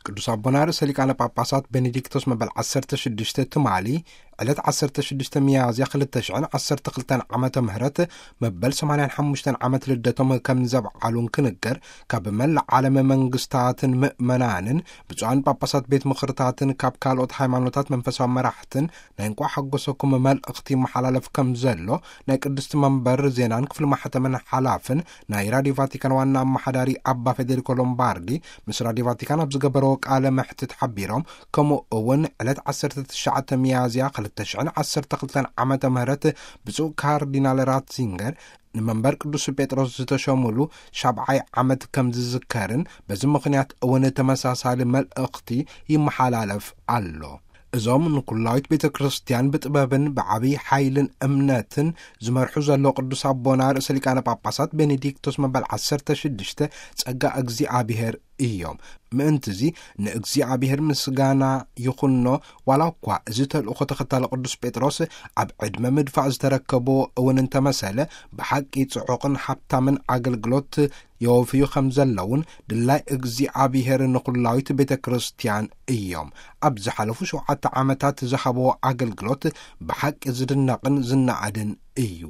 ቅዱስ ኣቦና ርእሰ ሊቃነ ጳጳሳት ቤኔዲክቶስ መበል ዓሰርተ ሽዱሽተ ትማሊ ዕለት ዓሰርተ ሽዱሽተ ሚያዝያ ክልተ ሽሕን ዓሰርተ ክልተን ዓመተ ምህረት መበል ሰማንያን ሓሙሽተን ዓመት ልደቶም ከም ዘብዓሉን ክንገር፣ ካብ መላእ ዓለም መንግስታትን ምእመናንን ብፁዓን ጳጳሳት ቤት ምኽርታትን ካብ ካልኦት ሃይማኖታት መንፈሳዊ መራሕትን ናይ እንቋዕ ሓጎሰኩም መልእኽቲ ይመሓላለፍ ከም ዘሎ ናይ ቅድስቲ መንበር ዜናን ክፍሊ ማሕተምን ሓላፍን ናይ ራዲዮ ቫቲካን ዋና ኣመሓዳሪ ኣባ ፌዴሪኮ ሎምባርዲ ምስ ራዲዮ ቫቲካን ኣብ ዝገበረዎ ቃለ መሕትት ሓቢሮም፣ ከምኡ እውን ዕለት ዓሰርተ ትሽዓተ ሚያዝያ ክልተ ሽሕን ዓሰርተ ክልተን ዓመተ ምህረት ብፁዕ ካርዲናል ራትዚንገር ንመንበር ቅዱስ ጴጥሮስ ዝተሸሙሉ ሻብዓይ ዓመት ከም ዝዝከርን በዚ ምኽንያት እውን ተመሳሳሊ መልእኽቲ ይመሓላለፍ ኣሎ። እዞም ንኩላዊት ቤተ ክርስቲያን ብጥበብን ብዓብዪ ሓይልን እምነትን ዝመርሑ ዘሎ ቅዱስ ኣቦና ርእሰ ሊቃነ ጳጳሳት ቤኔዲክቶስ መበል ዓሰርተ ሽዱሽተ ጸጋ እግዚኣብሔር እዮም። ምእንትዚ ንእግዚኣብሔር ምስጋና ይኹኖ፣ ዋላ እኳ እዚ ተልእኾ ተኸታሊ ቅዱስ ጴጥሮስ ኣብ ዕድመ ምድፋእ ዝተረከቦ እውን እንተመሰለ፣ ብሓቂ ጽዑቕን ሃብታምን ኣገልግሎት የወፍዩ ከም ዘለውን ድላይ እግዚኣብሔር ንኹላዊት ቤተ ክርስቲያን እዮም። ኣብ ዝሓለፉ ሸውዓተ ዓመታት ዝሃብዎ ኣገልግሎት ብሓቂ ዝድነቕን ዝነኣድን እዩ።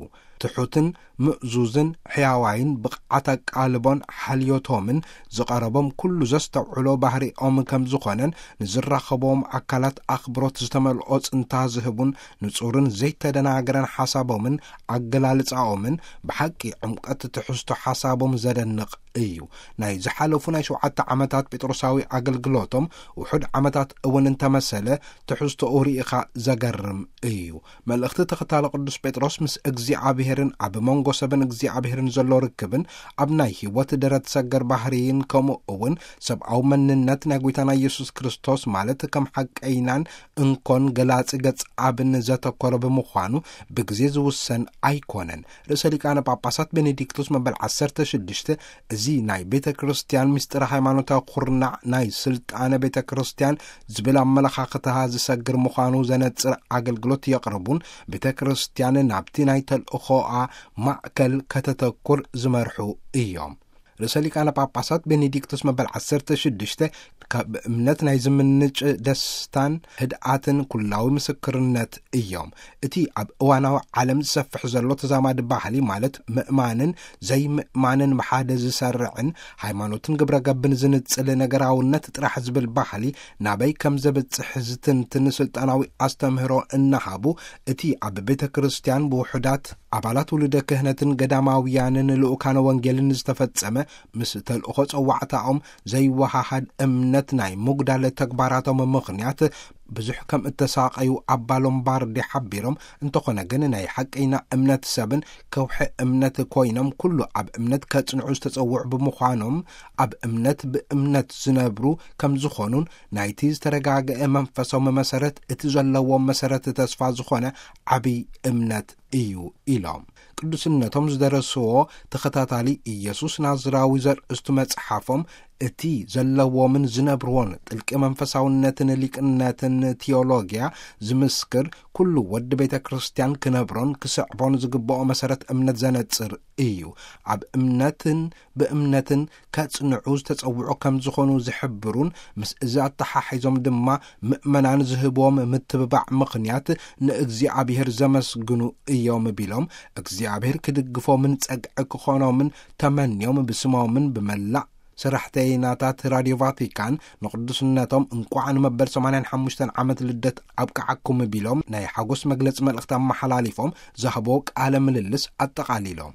ትሑትን ምእዙዝን ሕያዋይን ብቕዓት ኣቃልቦን ሓልዮቶምን ዝቐረቦም ኩሉ ዘስተውዕሎ ባህሪኦም ከም ዝኾነን ንዝራኸቦም ኣካላት ኣኽብሮት ዝተመልኦ ጽንታ ዝህቡን ንጹርን ዘይተደናገረን ሓሳቦምን ኣገላልጻኦምን ብሓቂ ዕምቀት ትሕዝቶ ሓሳቦም ዘደንቕ እዩ። ናይ ዝሓለፉ ናይ ሸውዓተ ዓመታት ጴጥሮሳዊ ኣገልግሎቶም ውሑድ ዓመታት እውን እንተመሰለ ትሕዝቶኡ ርኢኻ ዘገርም እዩ። መልእኽቲ ተኸታሊ ቅዱስ ጴጥሮስ ምስ እግዚኣብሔርን ኣብ መንጎ ሰብን እግዚኣብሔርን ዘሎ ርክብን ኣብ ናይ ህይወት ደረት ሰገር ባህርይን ከምኡ እውን ሰብኣዊ መንነት ናይ ጐይታና ኢየሱስ ክርስቶስ ማለት ከም ሓቀይናን እንኮን ገላጺ ገጽ ኣብን ዘተኮረ ብምዃኑ ብግዜ ዝውሰን ኣይኮነን። ርእሰ ሊቃነ ጳጳሳት ቤኔዲክቶስ መበል ዓሰርተ ሽዱሽተ እዚ ናይ ቤተ ክርስቲያን ምስጢር ሃይማኖታዊ ኩርናዕ ናይ ስልጣነ ቤተ ክርስቲያን ዝብል ኣመለኻኽታ ዝሰግር ምዃኑ ዘነጽር ኣገልግሎት የቕርቡን ቤተ ክርስቲያን ናብቲ ናይ ተልእኾኣ ማእከል ከተተኩር ዝመርሑ እዮም። ርእሰ ሊቃነ ጳጳሳት ቤኔዲክቶስ መበል ዓሰርተ ሽዱሽተ ካብ እምነት ናይ ዝምንጭ ደስታን ህድኣትን ኩላዊ ምስክርነት እዮም። እቲ ኣብ እዋናዊ ዓለም ዝሰፍሕ ዘሎ ተዛማዲ ባህሊ ማለት ምእማንን ዘይምእማንን ብሓደ ዝሰርዕን ሃይማኖትን ግብረ ገብን ዝንጽል ነገራውነት ጥራሕ ዝብል ባህሊ ናበይ ከም ዘብጽሕ ዝትንትን ስልጣናዊ ኣስተምህሮ እናሃቡ፣ እቲ ኣብ ቤተ ክርስቲያን ብውሑዳት ኣባላት ውሉደ ክህነትን ገዳማውያንን ልኡካነ ወንጌልን ዝተፈጸመ ምስ ተልእኾ ጸዋዕታኦም ዘይወሃሃድ እምነት ናይ ምጉዳል ተግባራቶም ምኽንያት ብዙሕ ከም እተሳቐዩ ኣባ ሎምባርዲ ሓቢሮም፣ እንተኾነ ግን ናይ ሓቀይና እምነት ሰብን ከውሒ እምነት ኮይኖም ኩሉ ኣብ እምነት ከጽንዑ ዝተጸውዑ ብምዃኖም ኣብ እምነት ብእምነት ዝነብሩ ከም ዝኾኑን ናይቲ ዝተረጋገአ መንፈሳዊ መሰረት እቲ ዘለዎም መሰረት ተስፋ ዝኾነ ዓብይ እምነት እዩ ኢሎም። ቅዱስነቶም ዝደረስዎ ተኸታታሊ ኢየሱስ ናዝራዊ ዘርእስቱ መጽሓፎም እቲ ዘለዎምን ዝነብርዎን ጥልቂ መንፈሳውነትን ሊቅነትን ቲዮሎጊያ ዝምስክር ኩሉ ወዲ ቤተ ክርስቲያን ክነብሮን ክስዕቦን ዝግብኦ መሰረት እምነት ዘነጽር እዩ። ኣብ እምነትን ብእምነትን ከጽንዑ ዝተጸውዑ ከም ዝኾኑ ዝሕብሩን ምስ እዚ ኣተሓሒዞም ድማ ምእመናን ዝህብዎም ምትብባዕ ምኽንያት ንእግዚኣብሔር ዘመስግኑ እዮም ቢሎም፣ እግዚኣብሔር ክድግፎምን ጸግዒ ክኾኖምን ተመንዮም ብስሞምን ብመላእ ሰራሕተይናታት ራድዮ ቫቲካን ንቅዱስነቶም እንቋዕ ንመበል ሰማንያን ሓሙሽተን ዓመት ልደት ኣብቅዓኩም ቢሎም ናይ ሓጎስ መግለጺ መልእኽቲ ኣመሓላሊፎም ዝሃብዎ ቃለ ምልልስ ኣጠቓሊሎም።